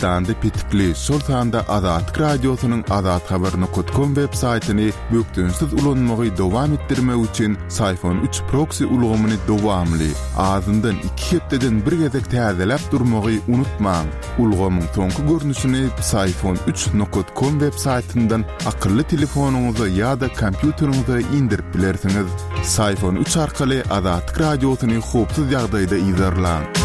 Türkmenistanda petikli, şol sanda Azatlyk Radiosynyň azathabar nokat kom web saýtyny bökdençsiz ulanmagy dowam etdirmek üçin Syfon üç proksi ulgamyny dowamly, azyndan iki hepdeden bir gezek täzeläp durmagy unutmaň. Ulgamyň soňky görnüşini Psiphon üç nokat kom web saýtyndan akylly telefonyňyza ýa-da kompýuteriňize indirip bilersiňiz. Psiphon üç arkaly Azatlyk Radiosyny howpsuz ýagdaýda yzarlaň.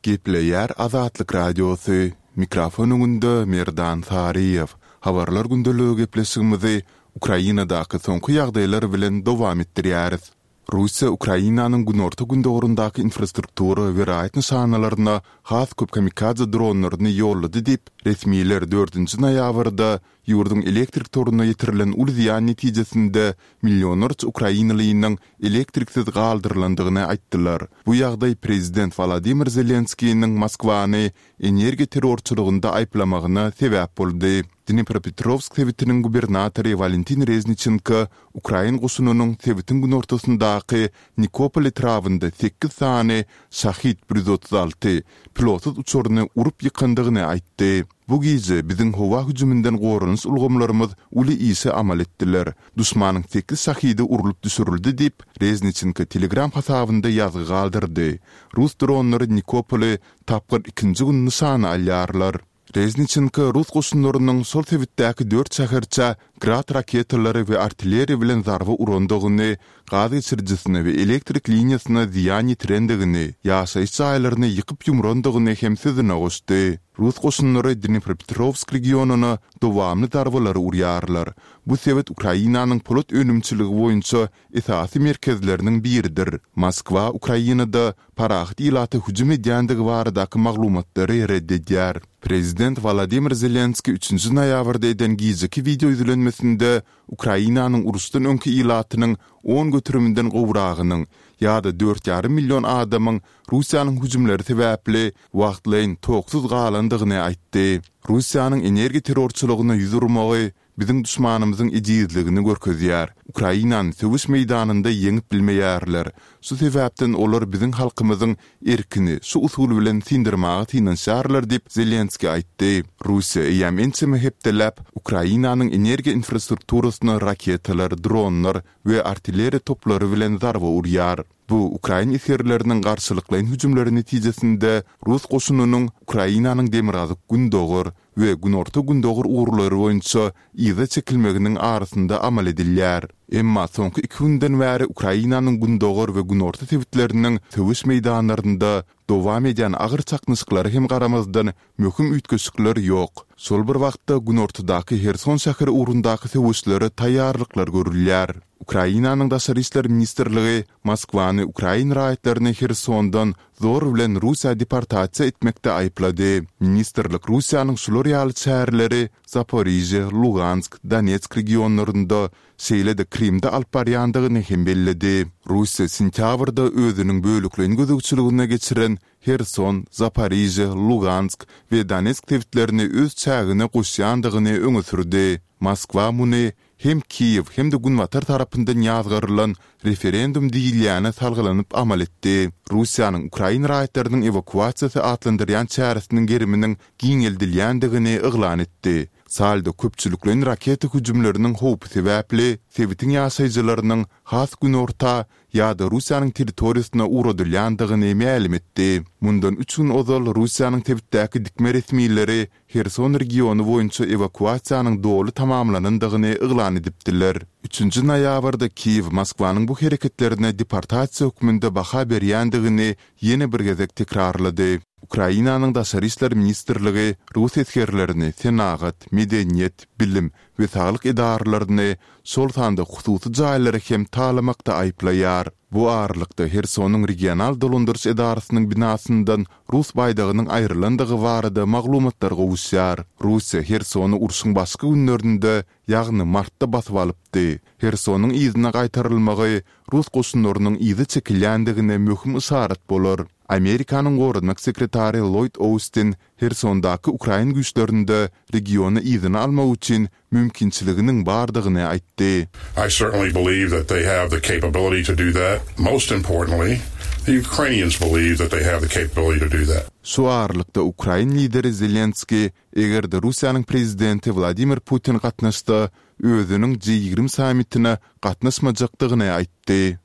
Gepleýär Azatlyk Radiosy, Mikrofon öňünde Merdan Saryýew. Habarlar gündeligi gepleşigimizi Ukrainadaky soňky ýagdaýlar bilen dowam etdirýäris. Russiýa Ukrainanyň günorta-gündogaryndaky infrastruktura we raýat nyşanalaryna has köp kamikadze dronlaryny ýollady diýip, resmiler dördünji noýabrda ýurduň elektrik toruna ýetirilen uly zyýan netijesinde millionlarça ukrainalynyň elektriksiz galdyrylandygyny aýtdylar. Bu ýagdaý prezident Wolodymyr Zelenskiniň Moskwany energiýa terrorçylygynda aýyplamagyna sebäp boldy. Dnipropetrowsk sebitiniň gubernatory Walentin Rezniçenko ukrain goşunynyň sebitiň günortasyndaky Nikopol etrabynda sekiz sany Şahid 136 pilotsyz uçaryny urup ýykandygyny aýtdy. Bu gije biziň howa hüjüminden goranyş ulgamlarymyz uly işi amal etdiler. Duşmanyň sekiz Şahidi urlup düşürildi diýip, Rezniçenko Telegram hasabynda ýazgy galdyrdy. Rus dronlary Nikopoly tapgyr ikinji gün nyşana alýarlar. Rezniçenko rus goşunlarynyň şol sebitdäki dört şäherçä Grad raketalary we artilleriýa bilen zarba urandygyny, gaz geçirijisine we elektrik liniýasyna zyýan ýetirendigini, ýaşaýyş jaýlaryny ýykyp-ýumrandygyny hem sözüne goşdy. Rus goşunlary Dnipropetrowsk regionyna dowamly zarbalary urýarlar. Bu sebit Ukrainanyň polat önümçiligi boýunça esasy merkezleriniň biridir. Moskwa Ukrainada parahat ilata hüjüm edýändigi baradaky maglumatlary ret edýär. Prezident Wolodymyr Zelenskiý üçünji noýabrda eden gijeki wideo ýüzlenmesinde Ukrainanyň uruşdan öňki ilatynyň on göteriminden gowragynyň ýa-da dört ýarym million adamyň Russiýanyň hüjümleri sebäpli wagtlaýyn toksuz galandygyny aýtdy. Russiýanyň energiýa terrorçylygyna ýüz urmagy biziň duşmanymyzyň ejizligini görkezýär. Ukrainany söweş meýdanynda ýeňip bilmeýärler. Şu sebäpden olar biziň halkymyzyň erkini şu usul bilen syndyrmaga synanyşýarlar diýip, Zelenskiý aýtdy. Russiýa eýýäm ençeme hepdeläp Ukrainanyň energiýa infrastrukturasyna raketalar, dronlar we artilleriýa toplary bilen zarba urýar. Bu ukrain esgerleriniň garşylyklaýyn hüjümleri netijesinde rus goşunynyň Ukrainanyň demirgazyk-gündogar we günorta-gündogar ugurlary boýunça yza çekilmeginiň arasynda amal edilýär. Emma soňky iki günden bäri Ukrainanyň gündogar we günorta sebitleriniň söweş meýdanlarynda dowam edýän agyr çaknyşyklara hem garamazdan möhüm üýtgeşikler ýok. Şol bir wagtda günortadaky Herson şäheri ugrundaky söweşlere taýýarlyklar görülýär. Ukrainanyň Daşary işler ministrligi Moskwany ukrain raýatlaryny Hersondan zor bilen Russiýa deportasiýa etmekde aýyplady. Ministrlik Russiýanyň şular ýaly çäreleri Zaporižýe, Lugansk, Donetsk regionlarynda, şeýle-de Krymda alyp barýandygyny hem belledi. Russiýa sentýabrda özüniň bölekleýin gözegçiligine geçiren Herson, Zaporižýe, Lugansk we Donetsk sebitlerini öz çägine goşýandygyny öňe sürdi. Moskwa muny hem Kiýew, hem-de Günbatar tarapyndan ýazgarylan referendum diýilýäne salgylanyp amal etdi. Russiýanyň ukrain raýatlarynyň ewakuasiýasy atlandyrýan çäresiniň geriminiň giňeldilýändigini yglan etdi. Saldo köpçülikleýin raketa hüjümleriniň howpy sebäpli sebitiň ýaşaýjylarynyň has günorta ýa-da Russiýanyň territoriýasyna ugradylýandygyny mälim etdi. Mundan üç gün ozal Russiýanyň sebitdäki dikme resmileri Herson regiony boýunça ewakuasiýanyň doly tamamlanandygyny yglan edipdiler. Üçünji noýabrda Kiýew Moskwanyň bu hereketlerine deportasiýa hökmünde baha berýändigini ýene bir gezek tekrarlady. Ukrainanyň Daşary işler ministrligi rus esgerlerini senagat, medeniýet, bilim we saglyk edaralaryny, şol sanda hususy jaýlary hem talamakda aýyplaýar. Bu aralykda, Hersonyň regional dolandyryş edarasynyň binasyndan rus baýdagynyň aýrylandygy barada maglumatlar gowuşýar. Russiýa Hersony urşuň başky günlerinde, ýagny martda basyp alypdy. Hersonyň yzyna gaýtarylmagy rus goşunlarynyň yza çekilýändigine möhüm yşarat bolar. Amerikanyň goranmak sekretary Lloýd Austin Hersondaky ukrain güýçlerinde regiony yzyna almak üçin mümkinçiliginiň bardygyny aýtdy. I certainly believe that they have the capability to do that. Most importantly, The Ukrainians believe that they have the capability to do that. Şu aralykda ukrain lideri Zelenskiý, eger-de Russiýanyň prezidenti Wladimir Putin gatnaşsa, özüniň G 20 sammitine gatnaşmajakdygyny aýtdy.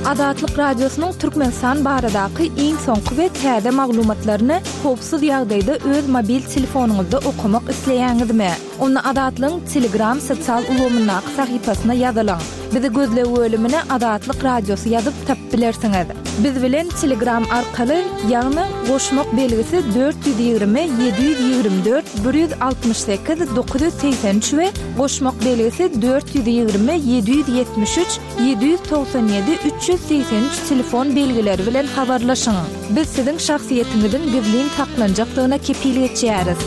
Azatlyk Radiosynyň Türkmenistan baradaky iň soňky we täze maglumatlaryny howpsuz ýagdaýda öz mobil telefonyňyzda okamak isleýäňizmi? Onda Azatlygyň Telegram sosial ulgamyndaky sahypasyna ýazylyň. Bizi gözleg bölümine Azatlyk Radiosy ýazyp tapyp bilersiňiz. Biz bilen Telegram arkaly, ýagny goşmak belgisi 420 724 168 983 we goşmak belgisi 420 773 797 383 telefon belgileri bilen habarlaşyň. Biz siziň şahsyýetiňiziň gizlin saklanjakdygyna kepil geçýäris.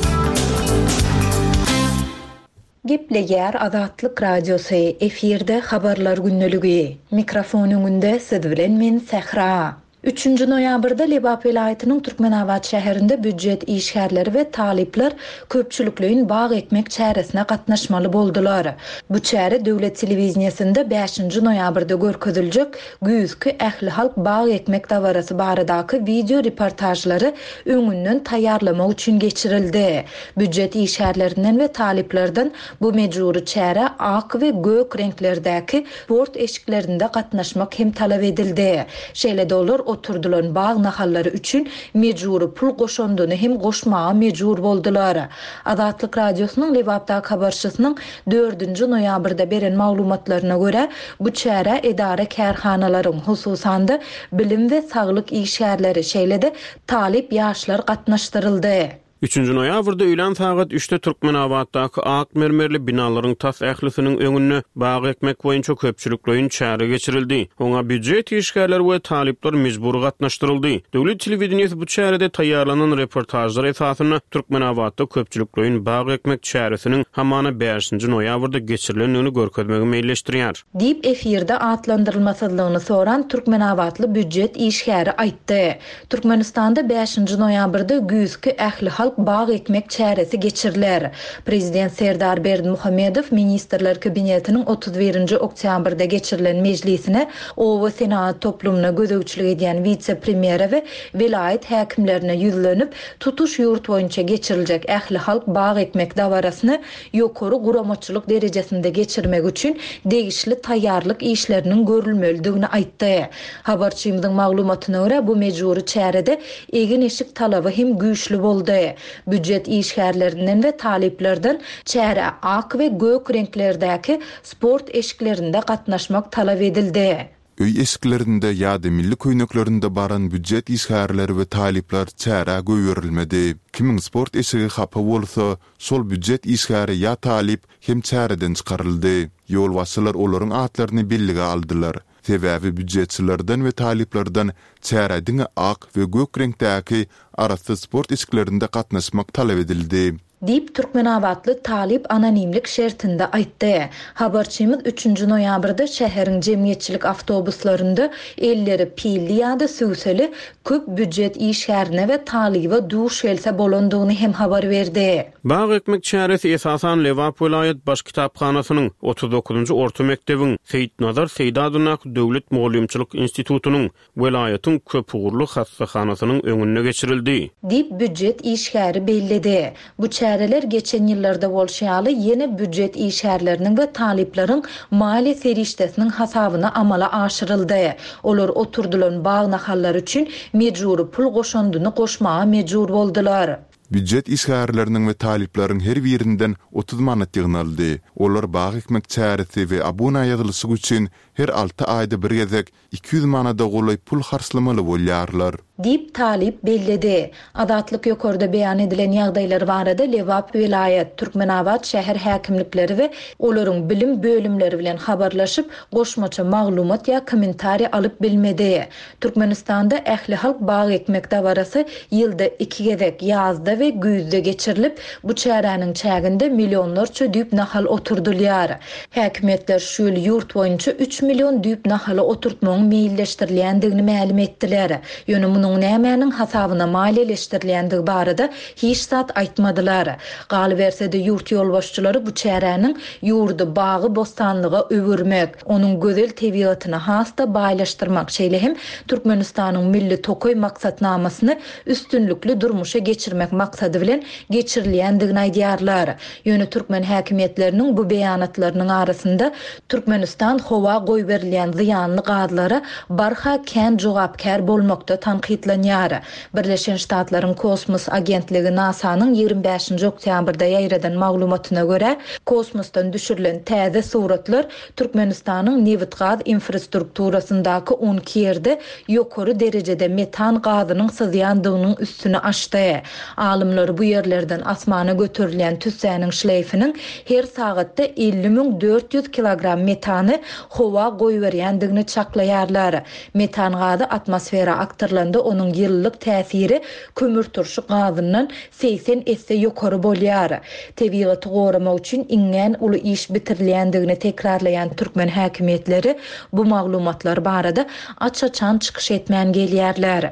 Gepleýär Azatlyk Radiosy, efirde Habarlar gündeligi. Mikrofon öňünde siz bilen men Sähra. Üçünji noýabrda Lebap welaýatynyň Türkmenabat şäherinde býujet işgärleri we talyplar köpçülikleýin bag ekmek çäresine gatnaşmaly boldular. Bu çäre döwlet telewideniýesinde bäşinji noýabrda görkeziljek güýzki ählihalk bag ekmek dabarasy baradaky wideo reportažlary öňünden taýýarlamak üçin geçirildi. Býujet işgärlerinden we talyplardan bu mejbury çärä ak we gök reňklerdäki sport eşiklerinde gatnaşmak hem talap edildi. Şeýle-de olar oturdylan bag nahallary üçin mejbury pul goşandyny hem goşmaga mejbur boldular. Azatlyk Radiosynyň Lebapdaky habarçysynyň dördünji noýabrda beren maglumatlaryna görä, bu çärä edara-kärhanalaryň, hususan-da, bilim we saglyk işgärleri, şeýle-de talyp ýaşlar gatnaşdyryldy. Üçünji noýabrda öýlän sagat üçde Türkmenabatdaky ak mermerli binalaryň tas ählisiniň öňünde bag ekmek boýunça köpçülikleýin çäre geçirildi. Oňa býujet işgärleri we talyplar mejbury gatnaşdyryldy. Döwlet telewideniýesi bu çärede taýýarlanan reportažlar esasynda Türkmenabatda köpçülikleýin bag ekmek çäresiniň hamana bäşinji noýabrda geçirilendigini görkezmegi meýilleşdirýär. Diýip, efirde atlandyrylmasyzlygyny soran türkmenabatly býujet işgäri aýtdy. Türkmenistanda bäşinji noýabrda güýzki ählihalk bag ekmek çäresi geçiriler. Prezident Serdar Berdimuhamedow Ministrler Kabinetiniň 31 nji oktýabrda geçirilen mejlisine oba senagat toplumyna gözegçilik edýän wise-premýere we welaýat häkimlerine ýüzlenip, tutuş ýurt boýunça geçiriljek ählihalk bag ekmek dabarasyny ýokary guramaçylyk derejesinde geçirmek üçin degişli taýýarlyk işleriniň görülmelidigini aýtdy. Habarçymyzyň maglumatyna görä, bu mejbury çärede egin-eşik talaby hem güýçli boldy. Býujet işgärlerinden we talyplardan çärä ak we gök reňklerdäki sport eşiklerinde gatnaşmak talap edildi. Öý eşiklerinde ýa-da milli köýneklerinde baran býujet işgärleri we talyplar çärä goýberilmedi. Kimiň sport eşigi hapa bolsa, şol býujet işgäri ýa talyp hem çäreden çykaryldy. Ýolbaşçylar olaryň atlaryny bellige aldylar. Sebäbi býujetçilerden we talyplardan çärä diňe ak we gök reňkdäki arassa sport eşiklerinde gatnaşmak talap edildi. Diýip, türkmenabatly talyp anonimlik şertinde aýtdy. Habarçymyz üçünji noýabrda şäheriň jemgyýetçilik awtobuslarynda elleri pilli ýa-da sübseli köp býujet işgärine we talyba duş gelse bolandygyny hem habar berdi. Bag ekmek çäresi esasan Lebap welaýat baş kitaphanasynyň, 39-njy orta mekdebiň, Seýitnazar Seýdi adyndaky döwlet mugallymçylyk institutynyň, welaýatyň köpugurly hassahanasynyň öňünde geçirildi. Diýip, býujet işgäri belledi. Bu çäreler geçen ýyllarda bolşy ýaly, ýene býujet işgärleriniň we talyplaryň maliýe serişdesiniň hasabyna amala aşyryldy. Olar oturdylan bag nahallary üçin mejbury pul goşandyny goşmaga mejbur boldular. Býujet işgärleriniň we talyplaryň her birinden 30 manat ýygnaldy. Olar bag ekmek çäresi we abuna ýazylyşyk üçin her alty aýda bir gezek 200 manada golaý pul harçlamaly bolýarlar. Diýip, talyp belledi. Azatlyk ýokarda beýan edilen ýagdaýlar barada Lebap welaýat, Türkmenabat şäher häkimlikleri we olaryň bilim bölümleri bilen habarlaşyp, goşmaça maglumat ýa kommentariý alyp bilmedi. Türkmenistanda ählihalk bag ekmek dabarasy ýylda iki gezek, ýazda we. we güýzde geçirilip, bu çäräniň çäginde millionlarça düýp nahal oturdylýar. Häkimiýetler şu ýyl ýurt boýunça üç million düýp nahaly oturtmagyň meýilleşdirilýändigini mälim etdiler. Ýöne munuň nämäniň hasabyna maliýeleşdirilýändigi barada hiç zat aýtmadylar. Galyberse-de, ýurt ýolbaşçylary bu çäräniň ýurdy bagy-bossanlyga öwürmek, onuň gözel tebigatyny has-da baýlaşdyrmak, şeýle hem Türkmenistanyň Milli tokaý maksatnamasyny üstünlikli durmuşa geçirmek maksady bilen geçirilýändigini aýdýarlar. Ýöne türkmen häkimiýetleriniň bu beýanatlarynyň arasynda Türkmenistan howa goýberilýän zyýanly gazlara barha kän jogapkär bolmakda tankytlanýar. Birleşen Ştatlaryň kosmos agentligi NASA-nyň 25-nji oktýabrda ýaýradan maglumatyna görä, kosmosdan düşürilen täze suratlar Türkmenistanyň nebitgaz infrastrukturasyndaky 12 ýerde ýokary derejede metan gazynyň syzýandygynyň üstüni açdy. Alymlar bu ýerlerden asmana göterilýän tüssäniň şleýfiniň her sagatda 50 400 kilogram metany howa goýberýändigini çaklaýarlar. Metan gazy atmosfera akdyrylanda onuň ýylylyk täsiri kömürturşy gazyndan 80 esse ýokary bolýar. Tebigaty goramak üçin iňňän uly iş bitirilýändigini tekrarlaýan türkmen häkimiýetleri bu maglumatlar barada aç-açan çykyş etmän gelýärler.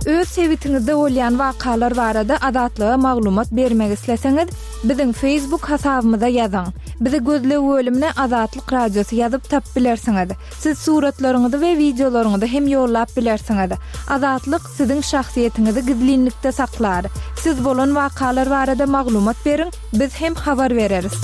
Öz sebitiňizde bolýan wakalar barada Azatlyga maglumat bermek isleseňiz, biziň Facebook hasabymyza ýazyň. Bizi gözleg bölümine Azatlyk Radiosy ýazyp tapyp bilersiňiz. Siz suratlaryňyzy we wideolaryňyzy hem ýollap bilersiňiz. Azatlyk siziň şahsyýetiňizi gizlinlikde saklar. Siz bolan wakalar barada maglumat beriň, biz hem habar bereris.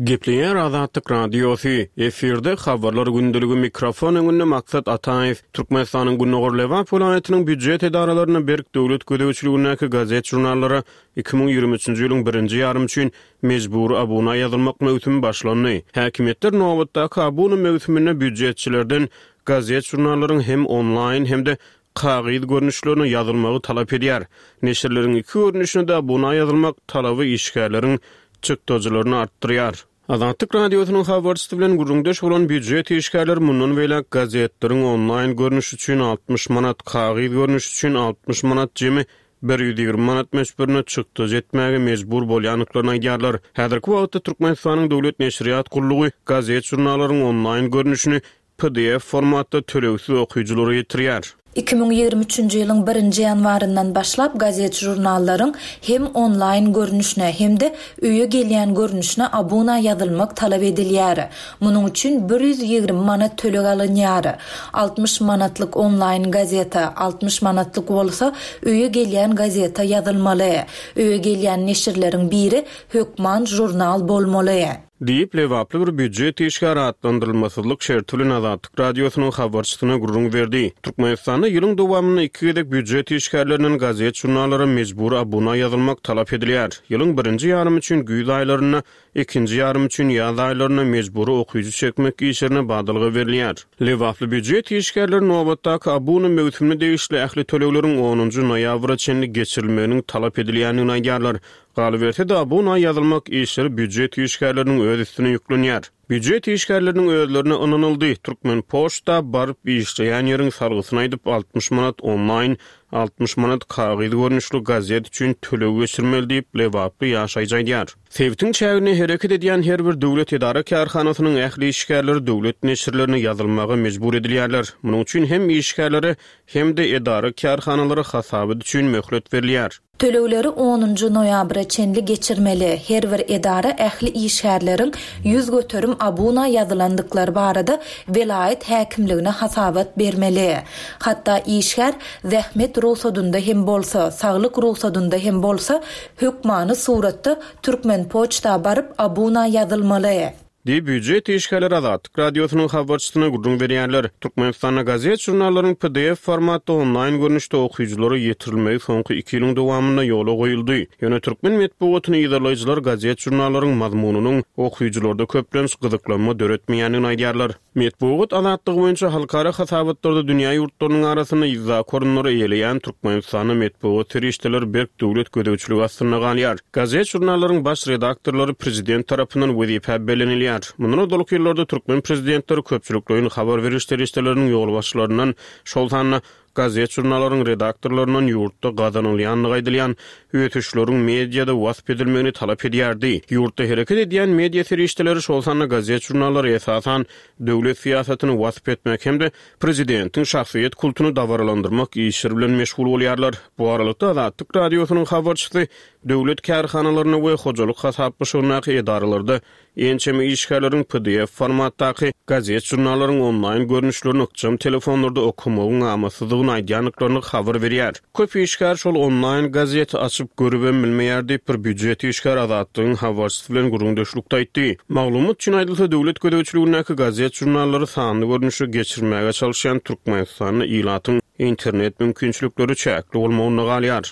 Gepleýär Azatlyk Radiosy, efirde Habarlar gündeligi mikrofon öňünde Maksat Ataýew. Türkmenistanyň Gündogar Lebap welaýatynyň býujet edaralarynda berk döwlet gözegçiligindäki gazet-žurnallara 2023-nji ýylyň birinji ýarymy üçin Mejbury abuna ýazylmak möwsümi başlandy. Häkimiýetler nobatdaky abuna möwsüminde býujetçilerden gazet-žurnallaryň hem onlaýn, hem-de kagyz görnüşlerine ýazylmagy talap edýär. Neşirleriň iki görnüşine-de abuna ýazylmak talaby işgärleriň çykdajylaryny artdyrýar. Azatlyk Radiosynyň habarçysy bilen gürrüňdeş bolan býujet işgärleri mundan beýläk gazetleriň onlaýn görnüşi üçin 60 manat, kagyz görnüşi üçin 60 manat jemi 120 manat möçberinde çykdajy etmäge mejbur bolýandyklaryny aýdýarlar. Häzirki wagtda Türkmenistanyň Döwlet neşirýat gullugy gazet-žurnallaryň onlaýn görnüşini pdf formatda tölegsiz okyjylara ýetirýär. 2023-nji ýylyň birinji ýanwaryndan başlap gazet-žurnallaryň hem onlaýn görnüşine, hem-de öýe gelýän görnüşine abuna ýazylmak talap edilýär. Munuň üçin 120 manat töleg alynýar. 60 manatlyk onlaýn gazete, 60 manatlyk bolsa öýe gelýän gazete ýazylmaly. Öýe gelýän neşirleriň biri hökman žurnal bolmaly. Diýip, lebaply bir býujet işgäri atlandyrylmasyzlyk şerti bilen Azatlyk Radiosynyň habarçysyna gürrüň berdi. Türkmenistanda ýylyň dowamynda iki gezek býujet işgärlerinden gazet-žurnallara mejbury abuna ýazylmak talap edilýär. Ýylyň birinji ýarymy üçin güýz aýlarynda, ikinji ýarymy üçin ýaz aýlarynda mejbury okyjy çekmek işlerine badalga berilýär. Lebaply býujet işgärleri nobatdaky abuna möwsümine degişli ähli tölegleriň onunjy noýabra çenli geçirilmeginiň talap edilýändigini aýdýarlar. Galyberse-de, abuna ýazylmak işleri býujet işgärleriniň öz üstüne ýüklenýär. Býujet işgärleriniň özlerine ynanyldy, Türkmenpoçta baryp işleýän ýeriň salgysyny aýdyp, 60 manat onlaýn, 60 manat kagyz görnüşli gazet üçin töleg geçirmeli diýip, lebaply ýaşaýjy aýdýar. Sebitiň çäginde hereket edýän her bir döwlet edara-kärhanasynyň ähli işgärleri döwlet neşirlerine ýazylmaga mejbur edilýärler. Munuň üçin hem işgärlere, hem-de edara-kärhanalara hasabat üçin möhlet berilýär. Tölegleri onunjy noýabra çenli geçirmeli. Her bir edara ähli işgärleriň 100% abuna ýazylandyklary barada welaýat häkimligine hasabat bermeli. Hatda işgär zähmet rugsadynda hem bolsa, saglyk rugsadynda hem bolsa, hökmany suratda Türkmenpoçta baryp abuna ýazylmaly. Diýip, býujet işgärleri Azatlyk Radiosynyň habarçysyna gürrüň berýärler. Türkmenistanda gazet-žurnallaryň pdf formatda onlaýn görnüşde okyjylara ýetirilmegi soňky iki ýylyň dowamynda ýola goýuldy. Ýöne türkmen metbugatyny yzarlaýjylar gazet-žurnallaryň mazmunynyň okyjylarda köplenç gyzyklanma döretmeýändigini aýdýarlar. Metbugat azatlygy boýunça halkara hasabatlarda dünýä ýurtlarynyň arasynda yzdaky orunlary eýeleýän Türkmenistanda metbugat serişdeleri berk döwlet gözegçiligi astynda galýar. Gazet-žurnallaryň baş redaktorlary prezident tarapyndan wezipä bellenilýär. edilýär. Mundan ozalky ýyllarda türkmen prezidentleri köpçülikleýin habar beriş serişdeleriniň ýolbaşçylaryndan, şol sanda gazet-žurnallaryň redaktorlaryndan ýurtda gazanylýandygy aýdylýan ösüşleriň mediada wasp edilmegini talap edýärdi. Ýurtda hereket edýän media serişdeleri, şol sanda gazet-žurnallar esasan döwlet syýasatyny wasp etmek hem-de prezidentiň şahsyýet kultuny dabaralandyrmak işleri bilen meşgul bolýarlar. Bu aralykda, Azatlyk Radiosynyň habarçysy döwlet kärhanalarynda we hojalyk hasaplaşygyndaky edaralarda Ençeme işgärleriň pdf formatdaky gazet-žurnallaryň onlaýn görnüşlerini ykjam telefonlarda okamagyň amatsyzdygyny aýdýandyklaryny habar berýär. Köp işgär şol onlaýn gazeti açyp görübem bilmeýär diýip, bir býujet işgäri Azatlygyň habarçysy bilen gürrüňdeşlikde aýtdy. Maglumat üçin aýdylsa, döwlet gözegçiligindäki gazet-žurnallary sanly görnüşe geçirmäge çalyşýan Türkmenistanda ilatyň internet mümkinçilikleri çäkli bolmagynda galýar.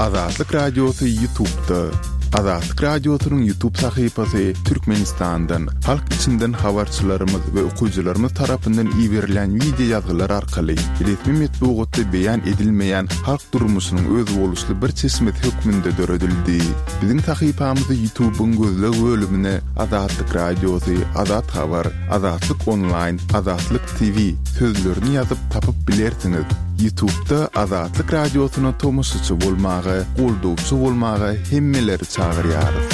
Azatlyk Radiosy Ýutubda. Azatlyk Radiosynyň Ýutub sahypasy Türkmenistandan, halk içinden habarçylarymyz we okyjylarymyz tarapyndan iberilýän wideo ýazgylar arkaly resmi metbugatda beýan edilmeýän halk durmuşynyň özboluşly bir çeşmesi hökmünde döredildi. Biziň sahypamyzy Ýutubyň gözleg bölümine Azatlyk Radiosy, Azat Habar, Azatlyk Onlaýn, Azatlyk TV sözlerini ýazyp tapyp bilersiňiz. Ýutubda Azatlyk Radiosyna tomaşaçy bolmaga, goldawçy bolmaga hemmeleri çagyrýarys.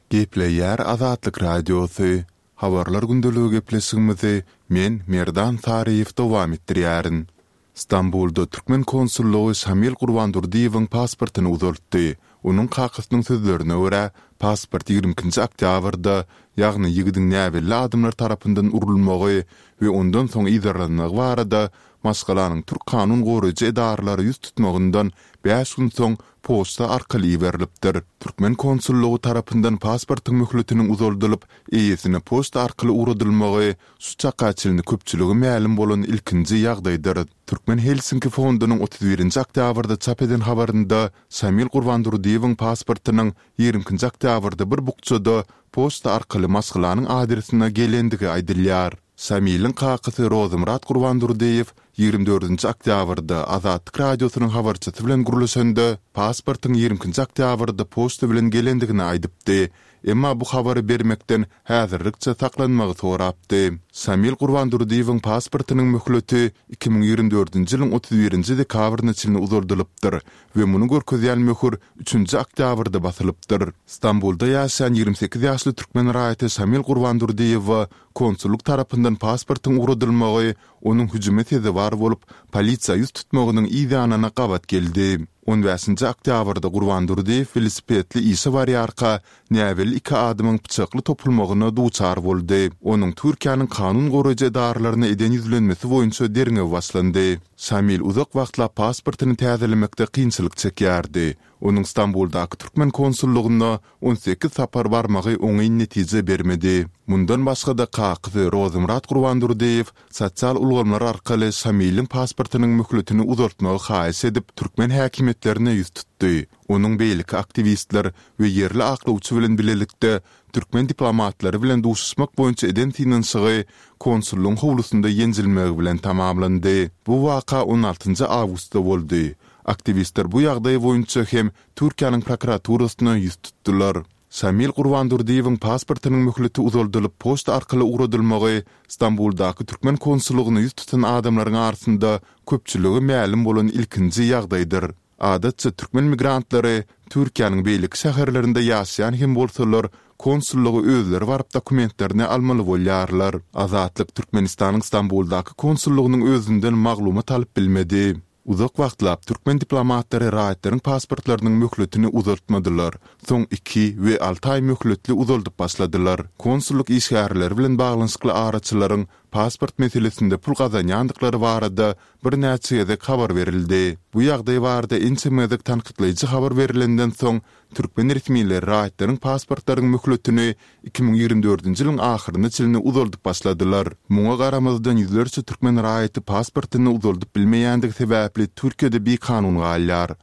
Gepleýär Azatlyk Radiosy, Habarlar gündeligi gepleşigimizi men Merdan Saryýew dowam etdirýärin. Stambulda türkmen konsullygy Şamil Gurbandurdyýewiň pasportyny uzaltdy. Onuň kakasynyň sözlerine görä, pasport 22-nji oktýabrda, ýagny ýigidiň näbelli adamlar tarapyndan urulmagy we ondan soň yzarlanmagy barada maşgalanyň türk kanun goraýjy edaralara ýüz tutmagyndan bäş gün soň poçta arkaly iberilipdir. Türkmen konsullygy tarapyndan pasportyň möhletiniň uzaldylyp, eýesine poçta arkaly ugradylmagy Şu çaka çenli köpçülige mälim bolan ilkinji ýagdaýdyr. Türkmen Helsinki fondunyň 31 nji oktýabrda çap eden habarynda Şamil Gurbandurdyýewiň pasportynyň 22 nji oktýabrda bir bukjada poçta arkaly maşgalanyň adresine gelendigi aýdylýar. Şamiliň kakasy Rozymyrat Gurbandurdyýew 24 nji oktýabrda Azatlyk Radiosynyň habarçysy bilen gürleşende, pasportyň 22 nji oktýabrda poçta bilen gelendigini aýdypdy. Emma bu habary bermekden häzirlikçe saklanmagy sorapdy. Şamil Gurbandurdyýewiň pasportynyň möhleti 2024-nji ýylyň 31-nji dekabryna çenli uzaldylypdyr we muny görkezýän möhür üçünji oktýabrda basylypdyr. Stambulda ýaşaýan 28 ýaşly türkmen raýaty Şamil Gurbandurdyýewe konsullyk tarapyndan pasportyň ugradylmagy onuň hüjüme sezewar bolup, polisiýa ýüz tutmagynyň yz ýanyna gabat geldi. On bäşinji oktýabrda Gurban Durdyýew welosipedli işe barýarka, näbelli iki adamyň pyçakly topulmagyna duçar boldy. Onuň Türkiýäniň kanun goraýjy edaralaryna eden ýüzlenmesi boýunça derňew başlandy. Şamil uzak wagtlap pasportyny täzelemekde kynçylyk çekýärdi. Onuň Stambuldaky türkmen konsullygyna 18 sapar barmagy oňyn netije bermedi. Mundan başga-da kakasy Rozymyrat Gurbandurdyýew sosial ulgamlar arkaly Şamiliň pasportynyň möhletini uzaltmagy haýyş edip, türkmen häkimiýetlerine ýüz tutdy. Onuň beýleki aktiwistler we ýerli aklawçy bilen bilelikde türkmen diplomatlary bilen duşuşmak boýunça eden synanyşygy konsullygyň howlusynda ýenjilmegi bilen tamamlandy. Bu waka on altynjy awgustda boldy. Aktiwistler bu ýagdaý boýunça hem Türkiýäniň prokuraturasyna ýüz tutdular. Şamil Gurbandurdyýewiň pasportynyň möhleti uzaldylyp poçta arkaly ugradylmagy Stambuldaky türkmen konsullygyna ýüz tutan adamlaryň arasynda köpçülige mälim bolan ilkinji ýagdaýdyr. Adatça türkmen migrantlary Türkiýäniň beýleki şäherlerinde ýaşaýan hem bolsalar, konsullyga özleri baryp dokumentlerini almaly bolýarlar. Azatlyk Türkmenistanyň Stambuldaky konsullygynyň özünden maglumat alyp bilmedi. Uzak wagtlap türkmen diplomatlary raýatlaryň pasportlarynyň möhletini uzaltmadylar, soň iki we alty aý möhletli uzaldyp başladylar. Konsullyk işgärleri bilen baglanyşykly araçylaryň pasport meselesinde pul gazanýandyklary barada birnäçe gezek habar berildi. Bu ýagdaý barada ençeme gezek tankytlaýjy habar berilenden soň, türkmen resmileri raýatlaryň pasportlaryň möhletini 2024-nji ýylyň ahyryna çenli uzaldyp başladylar. Muňa garamazdan ýüzlerçe türkmen raýaty pasportyny uzaldyp bilmeýändigi sebäpli Türkiýede bikanun galýar.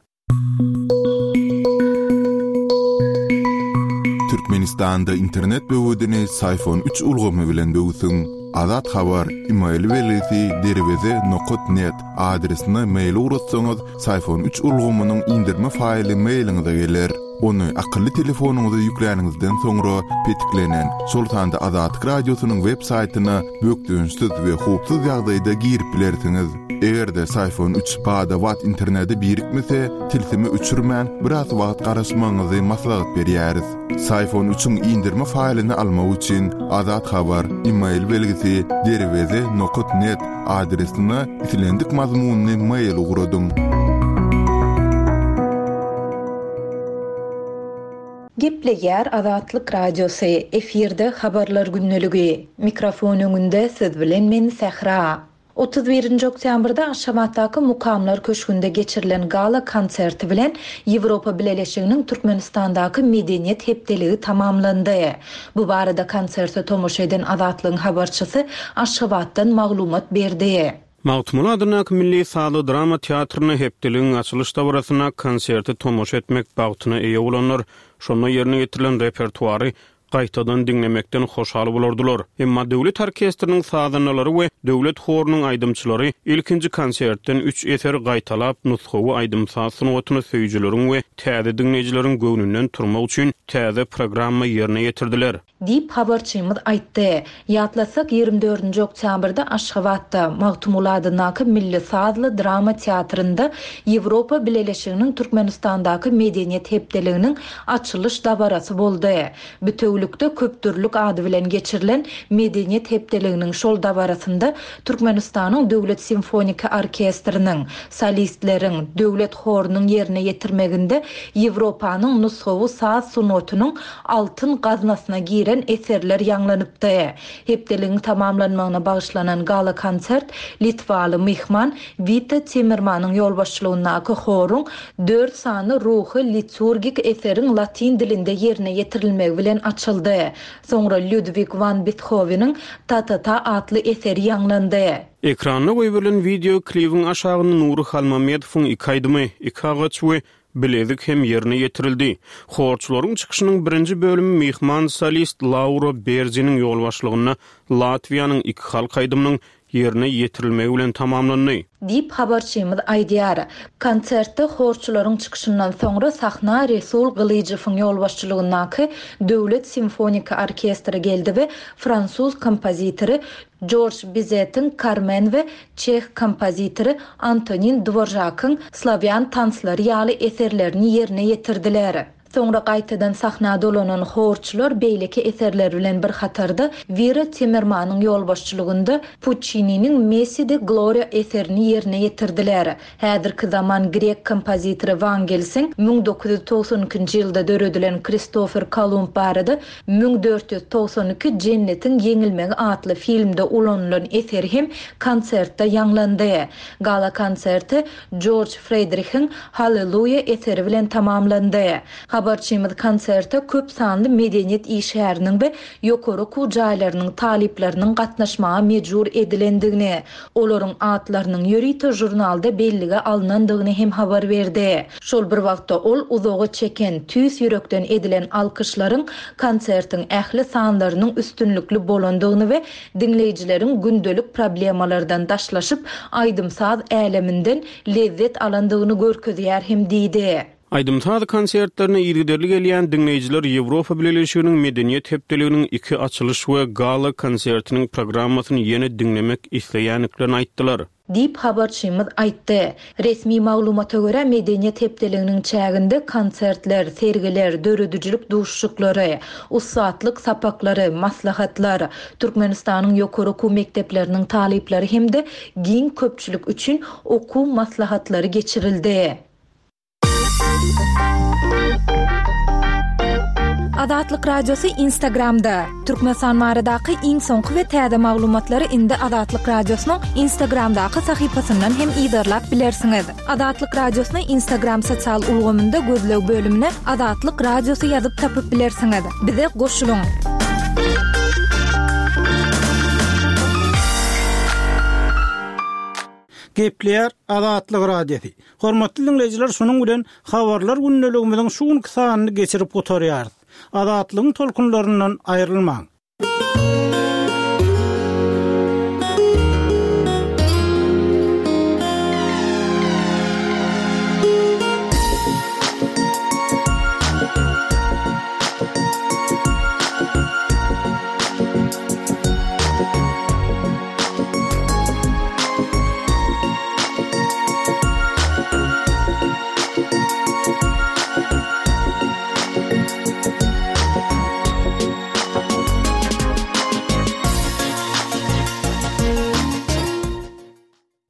Türkmenistanda internet böwedini Syfon üç ulgamy bilen böwsüň. Azat Habar, email belgisi derweze nokat net adresine mail ugratsaňyz, Syfon üç ulgamynyň indirme faýly mailiňize geler. Ony akylly telefonyňyza ýükläniňizden soňra petiklenen, şol sanda Azatlyk Radiosynyň web saýtyna bökdençsiz we howpsuz ýagdaýda girip bilersiňiz. Eger-de Syfon üç bada-bat internete birikmese, tilsimi öçürmän, biraz wagt garaşmagyňyzy maslahat berýäris. Syfon üçiň indirme faýlyny almak üçin Azat Habar, email belgisi, derweze nokat net adresine islendik mazmunly mail ugradyň. Gepleýär Azatlyk Radiosy, efirde Habarlar gündeligi. Mikrofon öňünde siz bilen men Sähra. 31-nji oktýabrda Aşgabatdaky Mukamlar köşgünde geçirilen gala konserti bilen Ýewropa Bileleşiginiň Türkmenistandaky Medeniýet hepdeligi tamamlandy. Bu barada konserte tomaşa eden Azatlygyň habarçysy Aşgabatdan maglumat berdi. Magtymguly adyndaky milli sazly drama teatrynda hepdeligiň açylyş dabarasynda konserte tomaşa etmek bagtyna eýe bolanlar şonda ýerine ýetirilen repertuary gaýtadan diňlemekden hoşal bolardylar. Emma döwlet orkestriniň sazandalary we döwlet horunyň aýdymçylary ilkinji konsertden üç eseri gaýtalap, nusgawy aýdym-saz sungatyny söýüjileriň we täze diňleýjileriň göwnünden turmak üçin täze programma ýerine ýetirdiler. Diýip, habarçymyz aýtdy. Ýatlatsak, 24-nji oktýabrda Aşgabatda, Magtymguly adyndaky milli sazly drama teatrynda Ýewropa Bileleşiginiň Türkmenistandaky Medeniýet hepdeliginiň açylyş dabarasy boldy. Bitewülikde köpdürlük ady bilen geçirilen Medeniýet hepdeliginiň şol dabarasynda Türkmenistanyň Döwlet simfoniki orkestriniň, solistleriň, Döwlet horunyň ýerine ýetirmeginde Ýewropanyň nusgawy saz sungatynyň altyn gaznasyna giren eserler ýaňlanypdy. Hepdeligiň tamamlanmagyna bagyşlanan gala-konsert litwaly myhman Wita Timmermanyň ýolbaşçylygyndaky horuň dört sany ruhy liturgik eseriň latyn dilinde ýerine ýetirilmegi bilen açyldy. Soňra Lýudwig wan Bethoweniň Ta-ta-ta atly eseri ýaňlandy. Ekranda goýberilen wideo klibiň aşagynda Nury Halmamedowyň iki aýdymy, Iki agaç we Bilezik hem ýerine ýetirildi. Horçularyň çykyşynyň birinji bölümi myhman solist Laura Berziniň ýolbaşçylygynda Latwiýanyň iki halk aýdymynyň ýerine ýetirilmegi bilen tamamlandy. Diýip, habarçymyz aýdýar. Konsertde horçularyň çykyşyndan soňra sahna Resul Gylyjowyň ýolbaşçylygyndaky Döwlet simfoniki orkestri geldi we fransuz kompozitory Jorj Bizetiň Karmen we çeh kompozitory Antonin Dworžakyň Slawýan tanslary ýaly eserlerini ýerine ýetirdiler. Soňra gaýtadan sahna dolanan horçular beýleki eserler bilen bir hatarda Wira Timmermanyň ýolbaşçylygynda Puççininiň Messi de Gloria eserini ýerine ýetirdiler. Häzirki zaman grek kompozitory Wangelsiň 1992-nji ýylda döredilen Kristofer Kolumb barada 1492 Jennetiň ýeňilmegi atly filmde ulanylan eseri hem konsertde ýaňlandy. Gala-konserti Jorj Fredrihiň Halleluýa eseri bilen tamamlandy. Habarçymyz konserte köp sanly medeniýet işgäriniň we ýokary okuw jaýlarynyň talyplarynyň gatnaşmaga mejbur edilendigini, olaryň atlarynyň ýörite žurnalda bellige alnandygyny hem habar berdi. Şol bir wagtda ol uzaga çeken, tüýs ýürekden edilen alkyşlaryň konsertiň ähli sanlarynyň üstünlikli bolandygyny we diňleýjileriň gündelik problemalardan daşlaşyp, aýdym-saz äleminden lezzet alandygyny görkezýär hem diýdi. Aýdym-saz konsertlerine yzygiderli gelýän diňleýjiler Ýewropa Bileleşiginiň Medeniýet hepdeliginiň iki açylyş we gala konsertiniň programmasyny ýene diňlemek isleýändiklerini aýtdylar. Diýip, habarçymyz aýtdy. Resmi maglumata görä, Medeniýet hepdeliginiň çäginde konsertler, sergiler, döredijilik duşuşyklary, ussatlyk sapaklary, maslahatlar, Türkmenistanyň ýokary okuw mekdepleriniň talyplary hem-de giň köpçülik üçin okuw maslahatlary geçirildi. Azatlyk Radiosy Instagramda, Türkmenistan baradaky iň soňky we täze maglumatlary indi Azatlyk Radiosynyň Instagramdaky sahypasyndan hem yzarlap bilersiňiz. Azatlyk Radiosyny Instagram sosial ulgamynda gözleg bölümine Azatlyk Radiosy ýazyp tapyp bilersiňiz. Bize goşulyň! Gepleýär Azatlyk Radiosy. Hormatly diňleýjiler şunuň bilen Habarlar gündeligimiziň şu günki sanyny geçirip gutarýarys. Azatlygyň tolkunlaryndan aýrylmaň.